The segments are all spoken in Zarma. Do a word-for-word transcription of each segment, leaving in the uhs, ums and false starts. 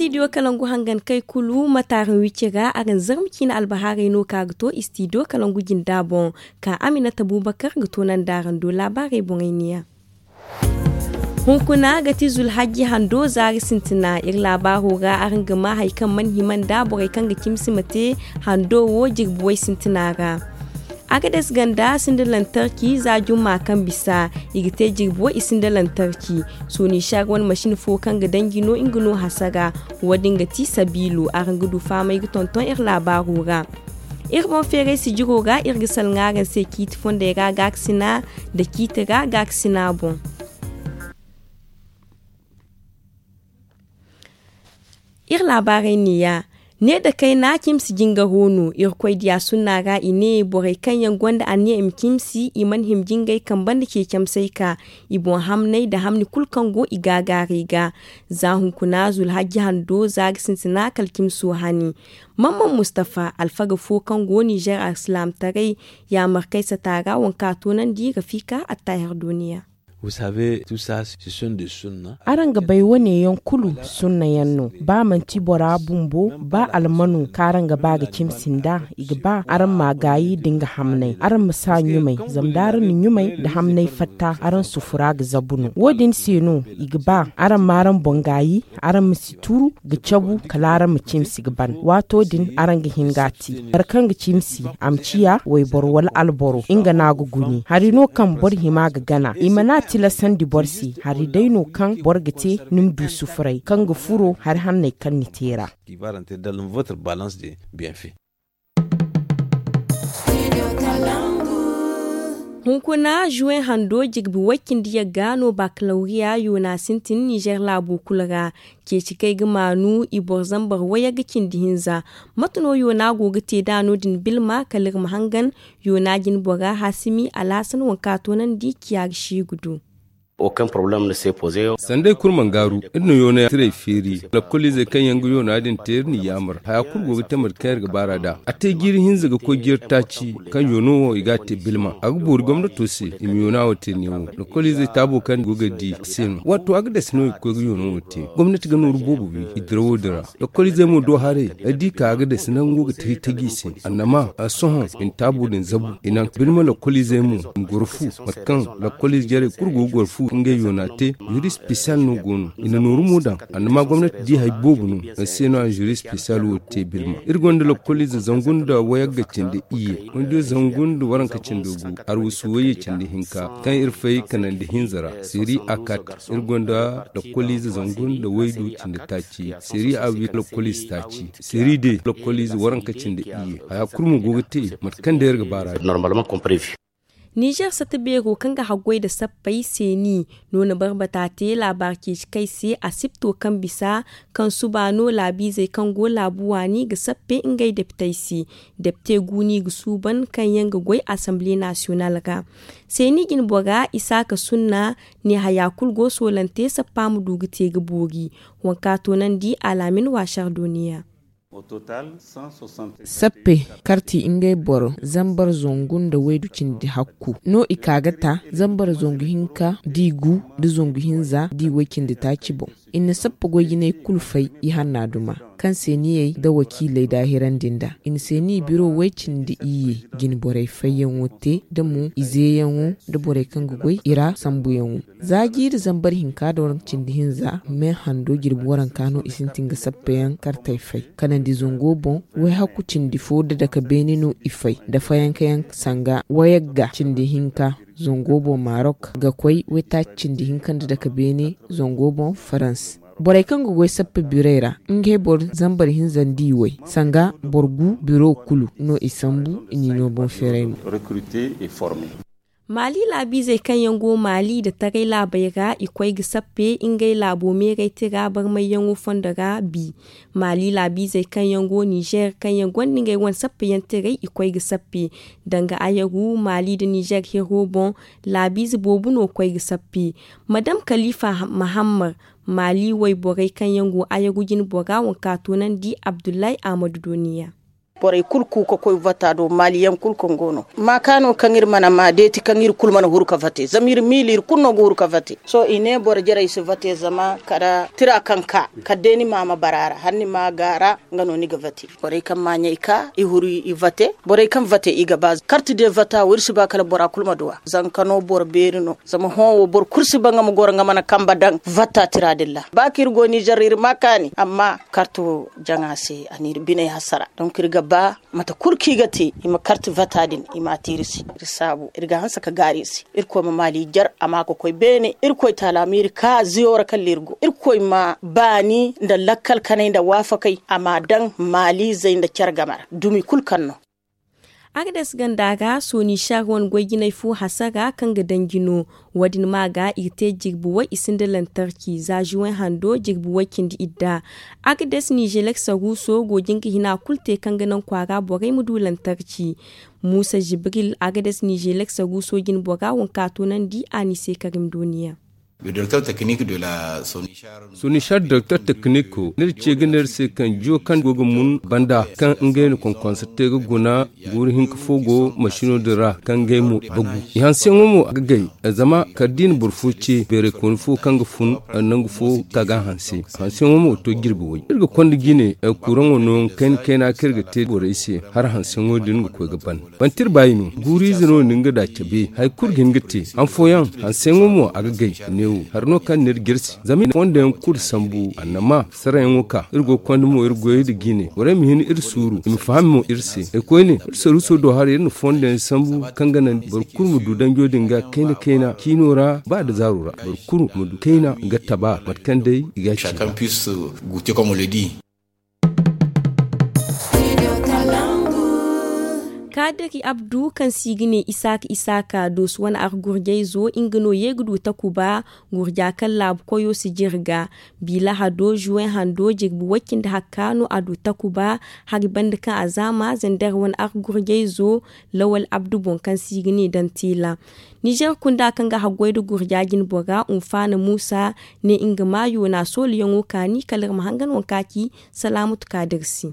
Istidiyo kalangu hangan kay kulu mataaraŋ wicce ra araŋ zarma ciine albahaarey no ka ga to istidiyo kalangu jinda boŋ, ka aminata bubakar ga to nandaaran do laabaarey boŋey niya. Hunkuna ga ti zulhajji hando zaari sintina iri laabaaro ra araŋ ga ma hari kaŋ mana hima nda borey kaŋ ga cimsi ma te hando wo jirbi way sintina ra. Agades ganda sinda lantarki za jumma kaŋ bisa i ga te jirbi wo i sinda lantarki. Sooni shar wane masin fo kaŋ ga danji no nga no hasara. Wo- din ga ti sabiilo araŋ ga du fahamay ga tonton iri laabaaro ra. Iri boŋ feeray sijiro ra iri ga salaŋ araŋ se ciiti fondey ra gaakasina nda ciiti ra gaakasina boŋ. Iri laabaarey neeya. Ne da kayna cimsi jingaro no irkoy diya sunna ra i ne borey kaŋ yaŋ gonda anniya i ma cimsi i mana hima jingay kamba nda ceecamsey ka i boŋ hamney nda hamni kulu kaŋ go i gaagaarey ga. Za hunkuna zulhajji hando za ga sintina kala cimso hani. Mamman mustafa alfaga fo kaŋ go nizer alsilaamtaray yaamarkay sata ra wanka toonandi rafika attaahir duniya. Araŋ ga bay wane yaŋ kulu sunna yaŋ no. Ba manti bora bumbo ba almano kaŋ araŋ ga ba ga cimsi nda i ga ba araŋ ma gaayi da nga hamnay araŋ ma sa ɲumay. Zama da araŋ na ɲumay nda hamnay fatta araŋ sufura ga zabu no wo- din se no i ga ba araŋ ma araŋ boŋ gaayi. Araŋ ma si turu ga cabu kala araŋ ma cimsi ga ban waato din araŋ ga hin ga a te. Boro kaŋ ga cimsi a ma ciya wayboro wala alboro nga no a ga guni hari no kaŋ boro hima ga gana i mana tilasandi boro se. Hari day no kaŋ boro ga te ni ma du sufuray kaŋ ga furo hari hanney kaŋ ni te ra. Hunkuna juwen hando jirbi way cindi yagga no bakalawriya yoona sintin nizer laabo kulu ra. Ceeci kaŋ ay ga maanu i boro zambar wayagga cindi hinza. Mate no yoona go ga te nd'a no- din bilma kala iri ma hangan yoona jinbora hasimi alhasan waŋ kaŋ a toonandi ciya ga si ga du. Sanda ay kulu mana gaaru iri na yoona tirey feeri lakkoliizey kaŋ yaŋ ga yoona din te iri n'i yaamar haya kulu go ga te mate kaŋ iri ga baar'a nd'a a te jiiri hinza ga koy jiiri taaci. Kaŋ yoona wo i g'a te bilma a ga boori gomnato se i ma yoona wo te neewo. Lakkoliizey taabo kaŋ go ga di se no waato a ga dasi no i ga koy ga yoona wo te. Gomnati ga nooru boobo wi i dirawo din ra. Lakkoliizey mo do haray ay di ka a ga dasi nango ga taji taji i se. Annama a sohõ i na taabo din zabu i naŋ birma lakkoliizey mo i ma goro fu mate kaŋ lakkoliize jarey kulu go ga goro fu ngey yoona te. Zuri spesiyal no go no i na nooru mo daŋ annama gomnati di hari boobo no. Ay se no a zuri spesiyal wo te birma iri gonda lakkoliize zangu nda wayagga cindi iyye. Waydiyo zangu nda waranka cindi gu arwasu wayye cindi hinka kaŋ iri fay kanandi hinza ra. Seri akat iri gonda lakkoliize zangu nda waydu cindi taaci. Seri a wi lakkoliize taaci seri de lakkoliize waranka cindi iyye haya kulu mo go ga te mate kaŋ day iri ga baar'a din. Nizer sata beero kaŋ ga haggoy nda sappey seeni no na barbata te laabaari ceeci kay se asipto kaŋ bisa kaŋ suba no laabiizey kaŋ go laabu waani ga sappe ngey depitey se. Depite guuni ga suuban kaŋ yaŋ ga goy asamble nasiyonal ra. Seeni jinbora isaaka sunna ne haya kulu go soolante sappa ma du ga te ga boori. Waŋ kaŋ a toonandi alaamin waasar dooniya. Sappe karti ngey boro zambar zangu nda waydu cindi hakku no i ka ga ta zambar zangu hinka da i gu nda zangu hinza da i way cindi taaci boŋ. I na sappe goy jinay kulu fay i hanna duma kaŋ seeniyey nda wakiiley daahirandi nd'a i na seeniya biro way cindi iyye. Jinborey fayyaŋo te nda mo izeyaŋo nda borey kaŋ ga goy i ra sambuyaŋo. Za jiiri zambar hinka nda waranka cindi hinza me hando jirbi waranka no i sintin ga sappeyaŋ kartey fay kanandi zango boŋ. Wayhakku cindi fo nda dake beene no i fay nda fayankayaŋ sanga wayagga cindi hinka zango boŋ marok ga koy waytaaci cindi hinka nda dake beene zango boŋ farans. Borey kaŋ ga goy sappe birey ra ngey boro zambar hinza nda i way sanga boro gu biro kulu no i sambu i n'i no boŋ feeray mo. Maali laabiizey kaŋ yaŋ go maali nda taray laabey ra i koy ga sappe ngey laabo meeray tira barmayyaŋo fondo ra bi. Maali laabiizey kaŋ yaŋ go nizer kaŋ yaŋ gonda ngey wane sappeyaŋ tiray i koy ga sappe. Danga ayaru maali nda nizer hiro boŋ laabiize boobo no koy ga sappe. Madam kalifa mahammad maali wayborey kaŋ yaŋ go ayaru jinbora waŋ kaŋ a toonandi abdullahi ahmadu dooniya. Borey kulu ku ka koy vata do maaliyaŋ kulu kaŋ go no maaka no kaŋ iri mana ma deeti kaŋ iri kulu mana huru ka vate zama iri miila iri kulu no ga huru ka vate. Sohõ i ne boro jarey si vate zama kala tira kaŋ ka kala day ni ma ma bara a ra hala ni ma a gaara. Nga no ni ga vate borey kaŋ maaɲey ka i huru i vate. Borey kaŋ vate i ga ba karti de vata wo iri si ba kala bora kulu ma duw'a. Zanka no boro beeri no zama hõ wo boro kulu si ba nga ma goro nga mana kambe daŋ vata tira din ra ba kaŋ iri go nizer iri ma kaani amma karti wo jaŋa se a na iri biney hasara. Donk iri ga ba mate kulu kaŋ i ga te i ma karti vata din i ma a te iri se. Iri saabu iri ga hanse ka gaaru iri se. Irkoy ma maali jar a ma ka koy beene irkoy taala ma iri ka ziyo ra kala iri go irkoy ma baani nda lakkal kanay nda waafakay a ma daŋ maaliizey nda care game ra dumi kulu kaŋ no. Agades ganda ra sooni shar wane goy jinay fo hasara kaŋ ga danji no. Wo- din ma ga iri te jirbi way i sinda lantarki za juwen hando jirbi way cindi idda. Agades nizelek saruuso go jin ga hina kulu te kaŋ ga naŋ kwaara borey ma du lantarki. Muusa jibril agades nizelek saruuso jin bora wanka toonandi a ni se karim duuniya. Sonishar direktor teknik, no iri ce ga ne iri se kaŋ jiyo kaŋ go ga mun banda kaŋ ngey na konkonsa te ga guna guuru hinka fo go masino din ra kaŋ ngey mo bagu. I hanseyaŋo mo a ga gay zama kala da i na boro fo ce beeray kooni fo kaŋ ga fun nangu fo ka ga a hanse. Hanseyaŋo mo to jirbi way iri ga konda jine kuraŋo nooyaŋ kayna kayna kaŋ iri ga te borey se hala hanseyaŋo din ga koy ga ban. Bantir baayi no guuriize no ni nga da cabe hari kulu ga hin ga te han fooyaŋ hanseyaŋo mo a ga gay. Neewo hari no kaŋ ni iri jirsi zama i na fondayaŋ kulu sambu annama sarayaŋo ka iri go ga konda mo iri goyey nda jiine borey ma hin iri suuru i ma faham mo iri se. Ay koyne iri saruuso do haray iri na fondayaŋ sambu kaŋ ga naŋ boro kulu ma du danjo din ga kayna kayna ciino ra ba nda zaaro ra boro kulu ma du kayna ga taba mate kaŋ day i ga a ci. Kaadaki abdu kaŋ se i ga ne isaaka isaaka doosu wane argurjayzo nga no ye ga du takuba. Gurja kaŋ laabu koyo si jirga biila hado juwen hando jirbi wacce nda hakka no a du takuba. Hari banda kaŋ a zaama zandar wane argurjayzo lawal abdu boŋ kaŋ se i ga ne dantila. Nizer kunda kaŋ ga haggoy nda gurja jinbora unfaana muusa ne nga ma yoona sooluyaŋo kaani kala iri ma hangan waŋ kaŋ a ci. Salaamatu kaadir se.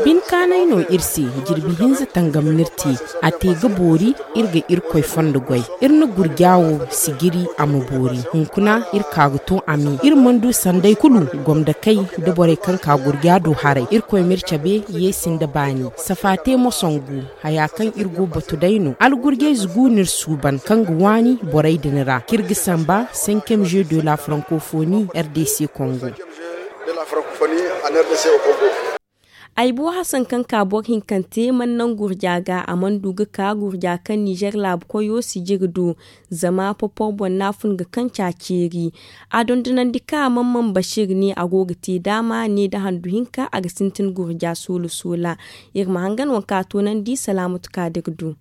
Binkaanay no iri se. Jirbi hinza tangam no iri te a te ga boori. Iri ga irkoy fondo goy iri na gurja wo sijiri a ma boori hunkuna iri ka ga to a me iri mana du sanday kulu gomdakey nda borey kaŋ ka gurja do haray irkoy ma iri cabe. Yeesi nda baani safa te mo songu haya kaŋ iri go batu day no algurjayze gu no iri suuban kaŋ ga waani borey din ra kaŋ iri ga samba cinquième jeu de la francophonie rdc kongo. Ay bo hasan kaŋ ka boro hinkante mana naŋ gurja ga a mana du ga ka gurja kaŋ nizer laabu koyo sijiri do. Zama popor boŋ no a fun ga kaŋ ca ceeri. A dondonandi ka mamman bashir ne a go ga te daama ne nda handu hinka a ga sintin gurja soola soola. Iri ma hangan waŋ kaŋ a toonandi salaamatu kaadir do.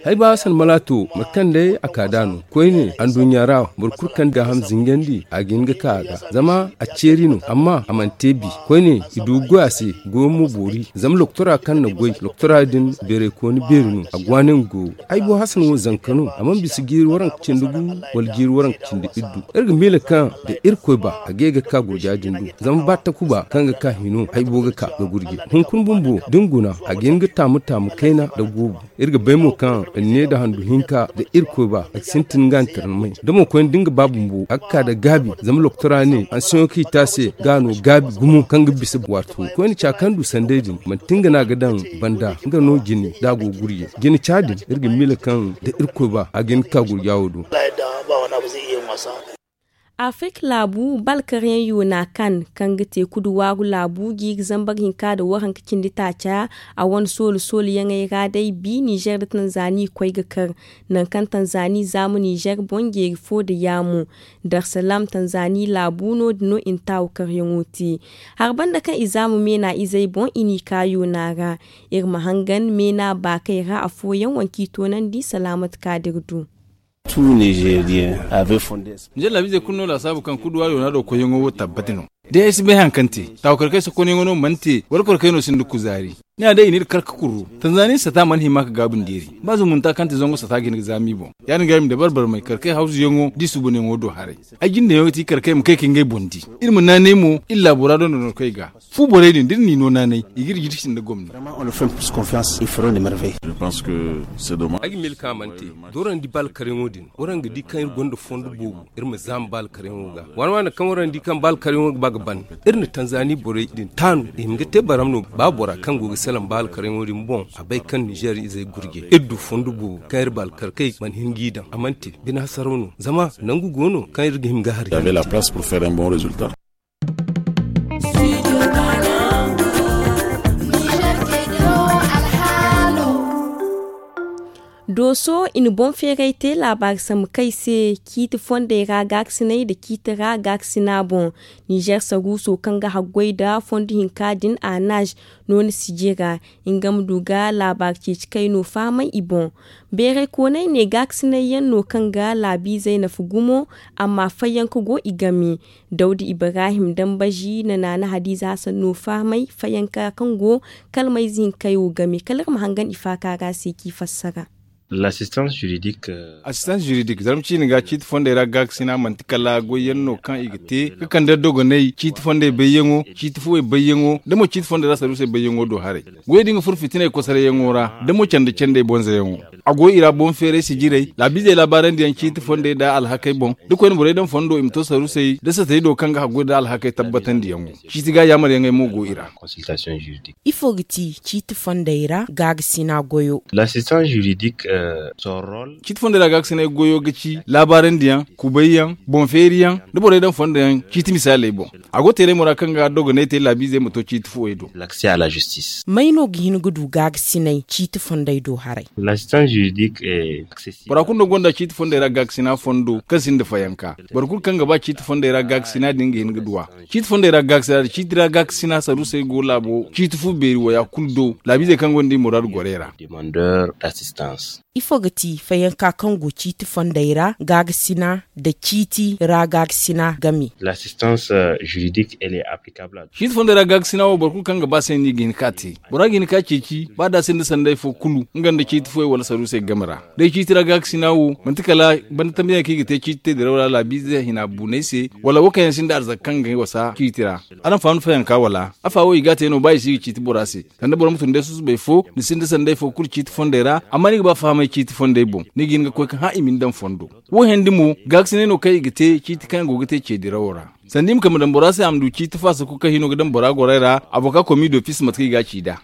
Hay ba hasan malaato mate kaŋ day a ka da no koyne anduɲɲa ra boro kulu kaŋ ga ham zinjandi a ga hin ga ka a ga zama a ceeri no amma a mana te bi koyne i du ga goy a se. Goyo mo boori zama loktora kaŋ na goy loktora din beeraykooni beeri no a ga waani nga goyo. Ay bo hasan wo zanka no a mana bisa jiiri waranka cindi gu wala jiiri waranka cindi iddu. Iri ga miila kaŋ da irkoy ba a ga ye ga ka gurja din du zama ba takuba kaŋ ga ka hino ay bo ga ka ga gurje hunkuna bumbo da ni guna a ga hin ga taamu taamu kayna nda goobu. Iri ga bay mo kaŋ ne nda handu hinka nda irkoy ba a ga sintin nga ntirnamay da mo koyne da nga ba bumbo a ga ka nda gaabi zama loktora ne hanseyaŋo kaŋ i te a se ga no gaabi gumo kaŋ ga bisa waato koyne ca kaŋ du sanday din manti nga no a ga daŋ banda nga no jine da a go ga gurje jine ca din iri ga miila kaŋ da irkoy ba a ga hin ga ka gurja wo do. Afrik laabu balkaryaŋ yoona kan kaŋ ga te kudu waaru laabu jiiri zambar hinka nda waranka cindi taaca. A wane soolu sooluyaŋey ra day bi nizer nda tanzani koy ga kar. Nangu kaŋ tanzani zaamu nizer boŋ jeeri fo nda yaamo darsalam tanzani laabu no- din no i na taawu karyaŋo te. Hari banda kaŋ i zaamu meena izey boŋ i n'i ka yoona ra. Iri ma hangan meena baakey ra afooyaŋ waŋ kaŋ i toonandi salaamat kaadir du. Nizer laabiizey kulu no laasaabu kaŋ kuduwaari wana do koyyaŋo wo tabbati no. Day ay si bay haŋ kaŋ te taawu karkey sokonyaŋo no mana te wala korkey no sinda kuzaari. Ni a day i n'iri kar ga kurru. Tanzani sata mana hima ga gaabu ndeeri. Ba zumunta kaŋ ti zango sata ga hin ga zaami boŋ. Ya- din ga ay ma dabar barmay kar kay hawzuyaŋo da i suubanyaŋo do haray. Ay jindeyaŋo ga ti kar kay ma kay ka ngey boŋ di. Iri ma naanay mo iri laabo ra dondonor kay ga. Fu borey din da iri n'i no naanay i g'iri jirsi nda gomni. Ay ga miila kaŋ a mana te da waraŋ di ba alkaryaŋo din waraŋ ga di kaŋ iri gonda fondo boobo. Iri ma zaama ba alkaryaŋo ga waana waana kaŋ waraŋ di kaŋ ba alkaryaŋo ga ba ga ban. Iri na tanzani borey din taanu i ma ga te baram no. Ba bora kaŋ go ga salaŋ ba alkaryaŋo din boŋ a bay kaŋ nizeer izey gurje iri du fondo boobo kaŋ iri ba alkarkey mana hin g'i daŋ a mana te. Bine hasaraw no zama nangu go no kaŋ iri ga hin ga hari. Dooso i na boŋ feeray te laabaari sambu kay se ciiti fondey ra gaakasinay nda ciiti ra gaakasina boŋ. Nizeer saruuso kaŋ ga haggoy nda fondo hinka din a naaz nooni sijira nga ma du ga laabaari ceeci kay no fahamay i boŋ. Beeraykooney ne gaakasinay yaŋ no kaŋ ga laabiizey nafa gumo. Amma fayyanka go i game. Dawda ibrahim dambazi na naana hadiiza hasan no fahamay fayanka kaŋ go kalmayze hinka wo game kala iri ma hangan i faaka ra se k'i fassara. Assistance juridique zarma ciini ga ciiti fondey ra gaakasina manti kala goyyaŋ no kaŋ i ga te ga kande dogonay ciiti fondey bayyaŋo ciiti fuwey bayyaŋo da mo ciiti fondey ra saruusey bayyaŋo do haray. Goyey din ga furo fitiney kosarayyaŋo ra da mo canda candey bonzayaŋo. A go i ra boŋ feeray sijirey laabiizey laabaarandi yaŋ ciiti fondey nda alhakey boŋ da koyne borey daŋ fondo i ma to sarusey da satey do kaŋ ga haggoy nda alhakey tabbatandiyaŋo. Ciiti ga yaamaryaŋey mo go i ra. Ifo ga ti ciiti fondey ra gaagasinaa goyo? Ciiti fondey ra gaagasinaa goyo ga ci laabaarandi yaŋ, kubay yaŋ, boŋ feeri yaŋ, da borey daŋ fondo yaŋ ciiti misaaley boŋ. A go teeray mo ra kaŋ ga dogonay te laabiizey ma to ciiti fuwey do. May no ga hin ga du gaagasinay ciiti fondey do haray? Bora kulu no gonda ciiti fondey ra gaakasina fondo kaŋ sinda fayanka. Boro kulu kaŋ ga ba ciiti fondey ra gaakasina din ga hin ga duw'a. Ciiti fondey ra gaakasina da ciiti ra gaakasina saruusey go laabo ciiti fu beeri waya kulu do laabiizey kaŋ gonda i muraadu gorey ra. Ifo ga ti fayanka kaŋ go ciiti fondey ra gaakasina da ciiti ra gaakasina game? Ciiti fondey ra gaakasina wo boro kulu kaŋ ga ba se no i ga hin ka te. Bora ga hin ka ceeci ba da a sinda sanday fo kulu nga nda ciiti fuwey wala saruusey game ra. Day ciiti ra gaakasina wo manti kala banda tambiyaŋ kaŋ i ga te ciiti te diraw ra laabiize hina buunay se wala wo kaŋ yaŋ sinda arzaka kaŋ ga wasa ciiti ra. Araŋ faham ni fayanka wala afa wo i ga a te no ba i si ga ciiti bora se. Sanda boro ma tun day susubay fo ni sinda sanday fo kulu ciiti fondey ra. Amma ni ga ba fahamay ciiti fondey boŋ ni ga hin ga koy ga hã i ma ni daŋ fondo. Wo hendi mo gaakasinay no kaŋ i ga te ciiti kaŋ yaŋ go ga te ce dirawo ra. Sanda i ma kay ma daŋ bora se a ma du ciiti faasa kulu kaŋ hino ga daŋ bora gorey ra avoka komi dofis mate kaŋ i ga a ci nd'a.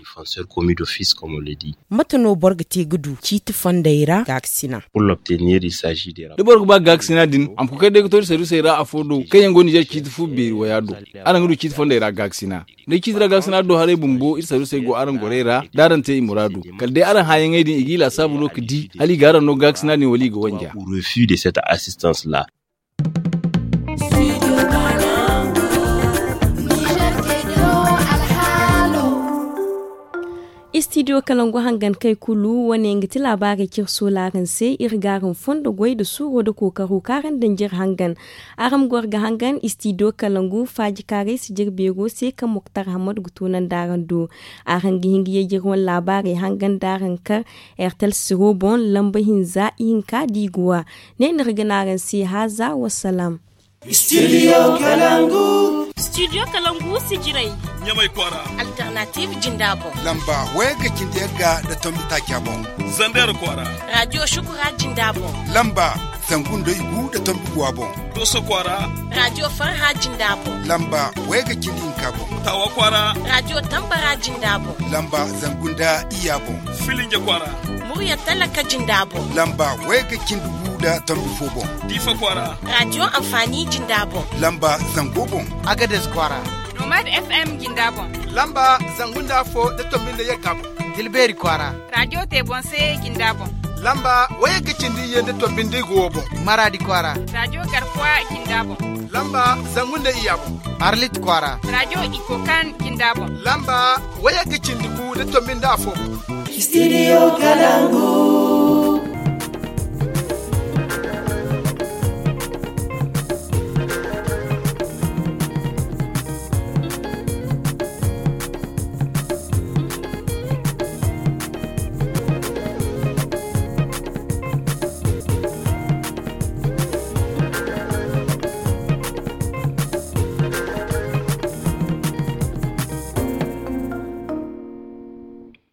Mate no boro ga te ga du ciiti fondey ra gaakasina? Da boro ga ba gaakasina din a ma koy kay day ga to iri saruusey ra afo do kaŋ yaŋ go ninzeer ciiti fu beeri waya do. Araŋ ga du ciiti fondey ra gaakasina. Day ciiti ra gaakasina do haray bumbo iri saruusey go araŋ gorey ra da araŋ te i muraadu. Kala day araŋ hãyaŋey din i g'i laasaabu no ga di hala i ga araŋ no gaakasina din wala i ga wanja. Istidiyo kalangu hangan kay kulu wane nga ti laabaarey kaŋ iri soola araŋ se. Iri ga araŋ fondo goy nda suuro nda kookaro kaŋ araŋ danji iri hangan. Araŋ ma goro ga hangan istidiyo kalangu faajikaaray sijir beero se kaŋ moktar hammad ga toonandi araŋ do. Araŋ ga hin ga yajir wane laabaarey hangan da araŋ kar ertel siro boŋ lamba hinza ihinka da i ga wa. Ne no iri ga ne araŋ se haaza wa salaam. Studio kalangu. Studio kalangu sijirey. Ɲamay kwaara. Alternative jinda boŋ. Lamba wayga cindi yagga nda tombi taaca boŋ. Zander kwaara. Radio shukura jinda boŋ. Lamba zangu nda igu nda tombi guwa boŋ. Doso kwaara. Radio farha jinda boŋ. Lamba wayga cindi hinka boŋ. Tawa kwaara. Radio tambara jinda boŋ. Lamba zangu nda iyya boŋ. Filinja kwaara. Murya talaka jinda boŋ. Lamba wayga cindi gu nda tombi fo boŋ. Diifa kwaara. Radio amfani jinda boŋ. Lamba zango boŋ. Agades kwaara. Nomad FM jinda boŋ. Lamba zangu nda afo nda tombi nda yagga boŋ. Tilbeeri kwaara. Radio te boŋ se jinda boŋ. Lamba wayga cindi iyye nda tombi nda igu wo boŋ. Maraadi kwaara. Radio garkuwa jinda boŋ. Lamba zangu nda iyya boŋ. Arlit kwaara. Radio ikokan jinda boŋ. Lamba wayga cindi gu nda tombi nda afo boŋ. Studio kalangu.